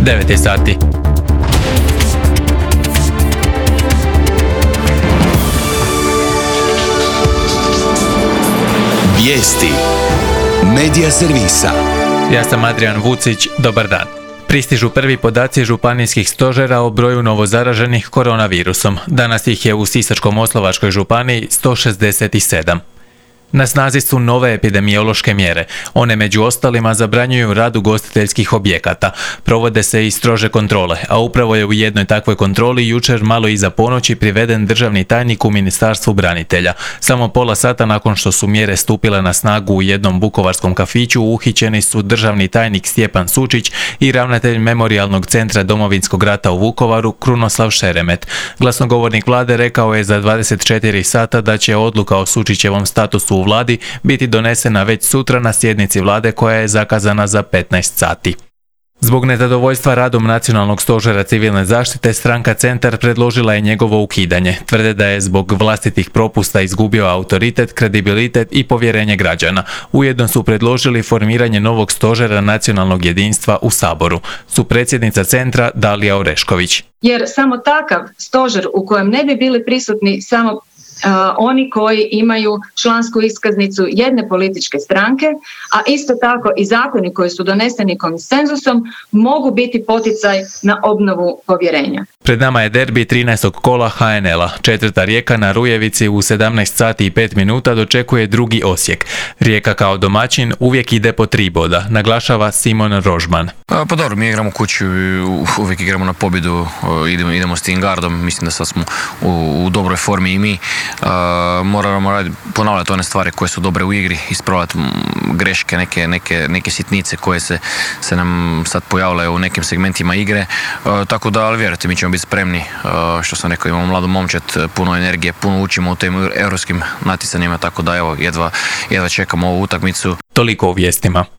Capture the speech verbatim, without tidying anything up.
devet je sati. Vijesti Medija servisa. Ja sam Adrian Vucić, dobar dan. Pristižu prvi podaci županijskih stožera o broju novozaraženih koronavirusom. Danas ih je u Sisačko-moslavačkoj županiji sto šezdeset sedam. Na snazi su nove epidemiološke mjere. One među ostalima zabranjuju rad ugostiteljskih objekata. Provode se i strože kontrole, a upravo je u jednoj takvoj kontroli jučer malo iza ponoći priveden državni tajnik u Ministarstvu branitelja. Samo pola sata nakon što su mjere stupile na snagu u jednom vukovarskom kafiću uhićeni su državni tajnik Stjepan Sučić i ravnatelj Memorijalnog centra Domovinskog rata u Vukovaru Krunoslav Šeremet. Glasnogovornik vlade rekao je za dvadeset četiri sata da će odluka o Sučićevom statusu u vladi biti donesena već sutra na sjednici vlade koja je zakazana za petnaest sati. Zbog nezadovoljstva radom Nacionalnog stožera civilne zaštite, stranka Centar predložila je njegovo ukidanje. Tvrde da je zbog vlastitih propusta izgubio autoritet, kredibilitet i povjerenje građana. Ujedno su predložili formiranje novog stožera nacionalnog jedinstva u Saboru. Supredsjednica Centra Dalija Orešković. Jer samo takav stožer u kojem ne bi bili prisutni samo Uh, oni koji imaju člansku iskaznicu jedne političke stranke, a isto tako i zakoni koji su doneseni konsenzusom mogu biti poticaj na obnovu povjerenja. Pred nama je derbi trinaestog kola ha en el-a. Četvrta Rijeka na Rujevici u sedamnaest sati i pet minuta dočekuje drugi Osijek. Rijeka kao domaćin uvijek ide po tri boda, naglašava Simon Rožman. Pa, pa dobro, mi igramo kuću i uvijek igramo na pobjedu, idemo, idemo s tim gardom, mislim da sad smo u, u dobroj formi i mi. Uh, moramo raditi, ponavljati one stvari koje su dobre u igri, ispravljati greške, neke, neke, neke sitnice koje se, se nam sad pojavljaju u nekim segmentima igre, uh, tako da, ali vjerujte, mi ćemo biti spremni, uh, što sam rekao, imamo mladu momčad, puno energije, puno učimo u tim europskim natjecanjima, tako da evo, jedva, jedva čekamo ovu utakmicu. Toliko u vijestima.